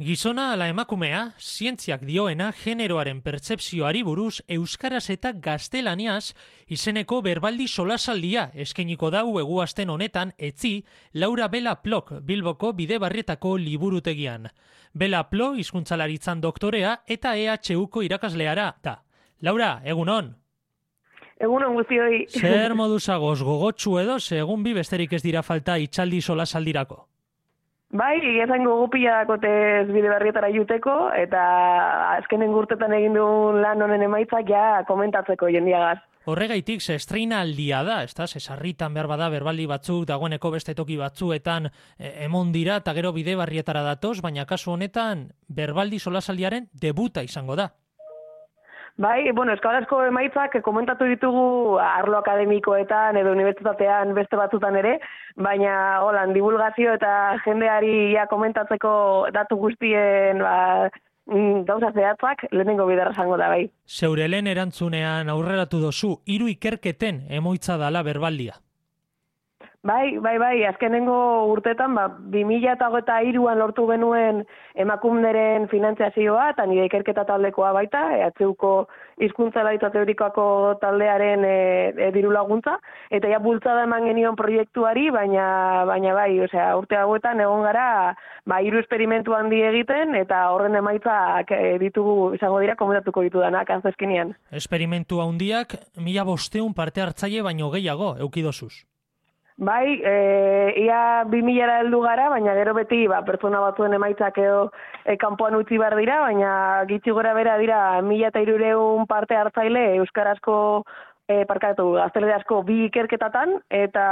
Gizona ala emakumea, zientziak dioena generoaren pertzepzioari buruz euskaraz eta gaztelaniaz izeneko berbaldi solasaldia eskainiko dau eguazten honetan etzi Laura Bela Plok Bilboko Bidebarrietako liburutegian. Bela Plo hizkuntzalaritzan doktorea eta EHUko irakasleara da. Laura, egunon? Egunon guztioi. Zer moduzagoz gogotsu edo, segun bi besterik ez dira falta itxaldi solasaldirako? Bai, esango gupila dakotez Bidebarrietara juteko, eta azkenen urtetan egin duen lan honen emaitzak ja komentatzeko jendiagaz. Horregaitik, ze estreinaldia da, ez da, sarritan behar bada berbaldi batzuk, dagoeneko beste toki batzuetan emon dira, eta gero Bidebarrietara datoz, baina kasu honetan berbaldi solasaldiaren debuta izango da. Bai, euskarazko emaitzak komentatu ditugu arlo akademikoetan edo unibertsitatean beste batzutan ere, baina holan divulgazio eta jendeari ja komentatzeko datu guztien gauza zehatzak lehenengo biderra zango da bai. Zeure lehen erantzunean aurreratu dozu, 3 ikerketen emoitza dala berbaldia. Bai, azkenengo urtetan, 2023an lortu genuen emakumeren finantziazioa, eta nire ikerketa taldekoa baita, EHUko hizkuntzalaritza teorikoako taldearen diru laguntza, eta ja bultzada eman genion proiektuari, baina bai, urte hauetan egon gara, 3 esperimentu handi egiten, eta horren emaitzak ditugu izango dira, komentatuko ditudanak, azkezkinean. Esperimentu handiak, 1500 parte hartzaile baino gehiago, eukidozuz. Bai, ia 2000 heldu gara, baina gero beti pertsona batzuen emaitzak edo kanpoan utzi behar dira, baina gitxi gora bera dira 1300 parte hartzaile euskarazko gaztelerazko 2 ikerketatan, eta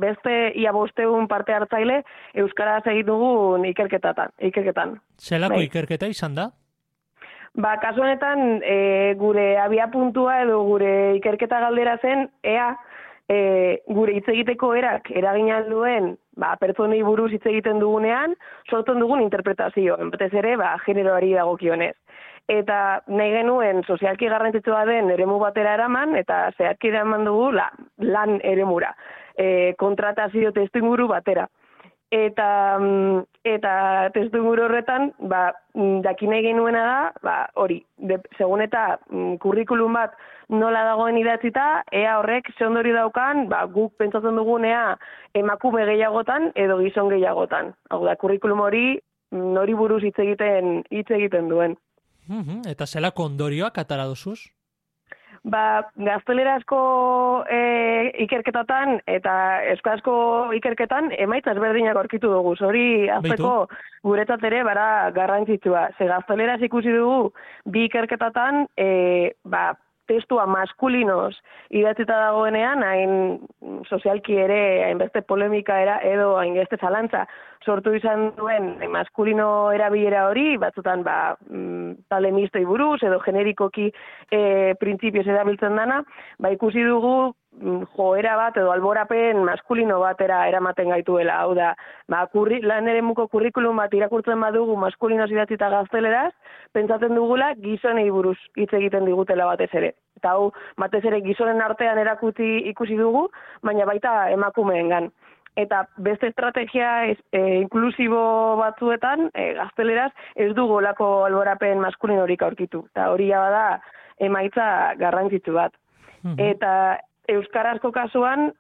beste ia 500 parte hartzaile euskaraz egin dugun ikerketan. Zelako ikerketa izan da? Kasu honetan, gure abiapuntua edo gure ikerketa galdera zen, gure hitz egiteko erak eragina duen pertsonei buruz hitz egiten dugunean, sortzen dugun interpretazio, batez ere generoari dagokionez. Eta nahi genuen sozialki garrantzitsua den eremu batera eraman, eta zehatki eraman dugu lan eremura, kontratazio testuinguru batera. Eta testuinguru horretan, jakin nahi genuena da, hori, segun eta kurrikulum bat nola dagoen idatzita, ea horrek ze ondori daukan, guk pentsatzen dugunea emakume gehiagotan edo gizon gehiagotan. Hau da, kurrikulum hori nori buruz hitz egiten duen. Eta zelako ondorioak atara duzuz? Gaztelerazko ikerketatan eta euskarazko ikerketan emaitza ezberdinak aurkitu dugu. Hori azteko guretzat ere garrantzitsua. Ze gazteleraz ikusi dugu 2 ikerketatan testua maskulinoz idatzita dagoenean, hain sozialki ere, hainbeste polemika edo hainbeste zalantza sortu izan duen maskulino erabilera hori, batzutan talde mistoi buruz edo generikoki printzipioz erabiltzen dana, ikusi dugu joera bat edo alborapen maskulino batera eramaten gaituela. Hau da, lan eremuko kurrikulum bat irakurtzen badugu maskulinoz idatzita gazteleraz, pentsatzen dugula gizonei buruz hitz egiten digutela batez ere. Eta hau, batez ere gizonen artean erakutsi ikusi dugu, baina baita emakumeengan. Eta beste estrategia inklusibo batzuetan, gazteleraz, ez dugu olako alborapen maskulinorik aurkitu. Eta hori da emaitza garrantzitsu bat. Eta euskarazko kasuan,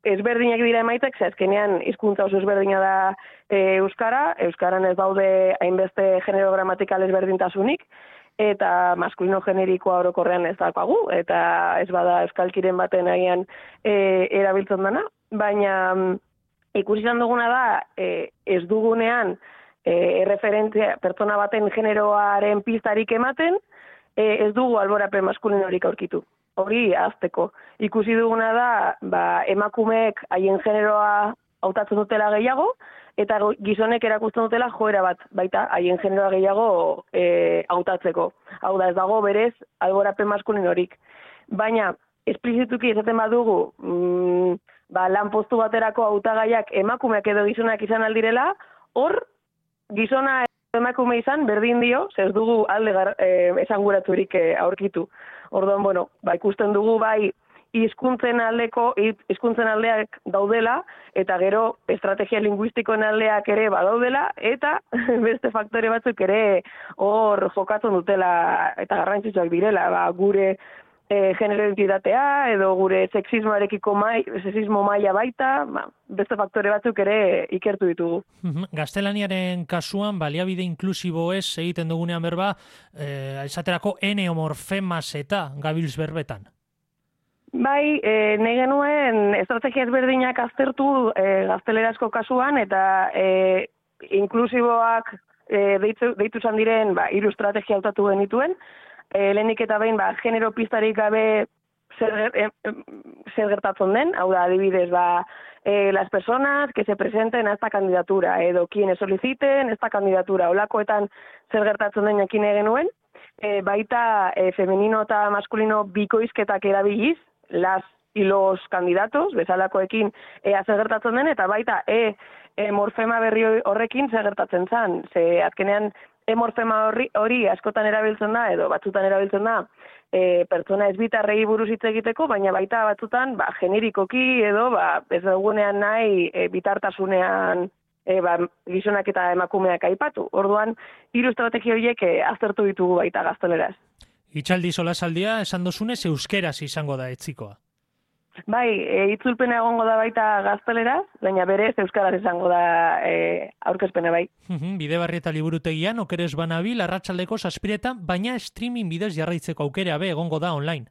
ezberdinak dira emaitzek, azkenean hizkuntza oso ezberdina da euskaran ez daude hainbeste genero gramatikal ezberdintasunik, eta maskulino generikoa orokorrean ez daukagu, eta ez bada euskalkiren baten agian erabiltzen dana, baina ikusi izan duguna da ez dugunean erreferentzia pertsona baten generoaren pistarik ematen, ez dugu alborapen maskulinorik aurkitu. Hori azteko. Ikusi duguna da, emakumeek haien generoa hautatzen dutela gehiago, eta gizonek erakusten dutela joera bat, baita haien generoa gehiago hautatzeko. Hau da, ez dago berez alborapen maskulinorik. Baina, esplizituki esaten badugu, lan postu baterako hautagaiak emakumeak edo gizonak izan aldirela, hor, gizona emakume izan berdin dio, ez dugu alde esanguratzurik aurkitu. Orduan, ikusten dugu hizkuntzen aldeak daudela, eta gero estrategia linguistikoen aldeak ere badaudela, eta beste faktore batzuk ere hor jokatzen dutela eta garrantzitsuak direla, gure genero identitatea edo gure sexismo maila baita, beste faktore batzuk ere ikertu ditugu. Gaztelaniaren kasuan baliabide inklusibo ez egiten dugunean berba, esaterako eneomorfemas eta gabiltz berbetan. Bai, nahi genuen estrategia ezberdinak aztertu gaztelerazko kasuan eta inklusiboak deitu zan diren 3 estrategia hautatu genituen. Lehenik eta behin genero pistarik gabe zer gertatzen den, hau da adibidez las personas que se presenten a esta candidatura edo quienes soliciten esta candidatura, olakoetan zer gertatzen den jakin genuen, baita femenino eta maskulino bikoizketak erabiliz, las y los candidatos, bezalakoekin zer gertatzen den, eta baita morfema berri horrekin zer gertatzen zen, ze azkenean morfema hori askotan erabiltzen da, edo batzutan erabiltzen da, pertsona ezbitarrei buruz hitz egiteko, baina baita batzutan generikoki edo ez dugunean nahi bitartasunean gizonak eta emakumeak aipatu. Orduan, 3 estrategia horiek aztertu ditugu baita gazteleraz. Itxaldi solasaldia esan dozunez euskeraz izango da etzikoa. Bai, itzulpena egongo da baita gazteleraz, baina berez euskaraz izango da aurkezpena bai. Bidebarrieta liburutegian okerez banabil arratsaldeko 7:00, baina streaming bidez jarraitzeko aukera egongo da online.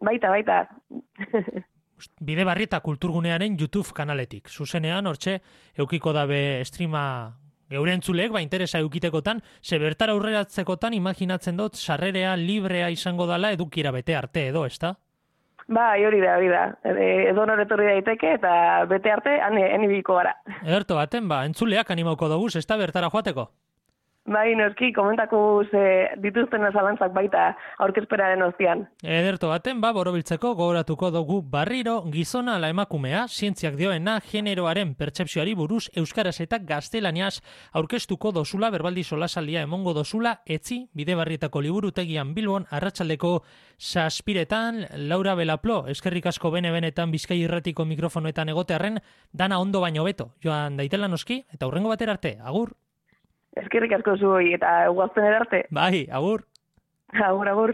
Baita. Bidebarrieta kulturgunearen YouTube kanaletik. Zuzenean, hortxe, eukiko dabe streama geure entzulek, interesa eukitekotan, ze bertara aurreratzekotan imaginatzen dut sarrerea librea izango dala edukira bete arte edo, ezta? Bai, hori da. Edo noretorri daiteke eta bete arte, han ibiliko gara. Ederto baten, entzuleak animauko dugu, ez da bertara joateko? Bai, noski, komentakuz dituzten zalantzak baita aurkezpenaren ostian. Ederto baten, borobiltzeko gogoratuko dugu berriro gizona ala emakumea, zientziak dioena generoaren pertsepzioari buruz euskaraz eta gaztelaniaz aurkeztuko dozula, berbaldi solasaldia emongo dozula, etzi, Bidebarrietako liburutegian Bilbon, arratsaldeko 7:00, Laura Belaplo, eskerrik asko benetan Bizkai Irratiko mikrofonoetan egotearren, dana ondo baino beto, joan daitela noski, eta hurrengo batera arte, agur! Eskerrik asko zuoi eta guazten arte. Bai, agur! Agur.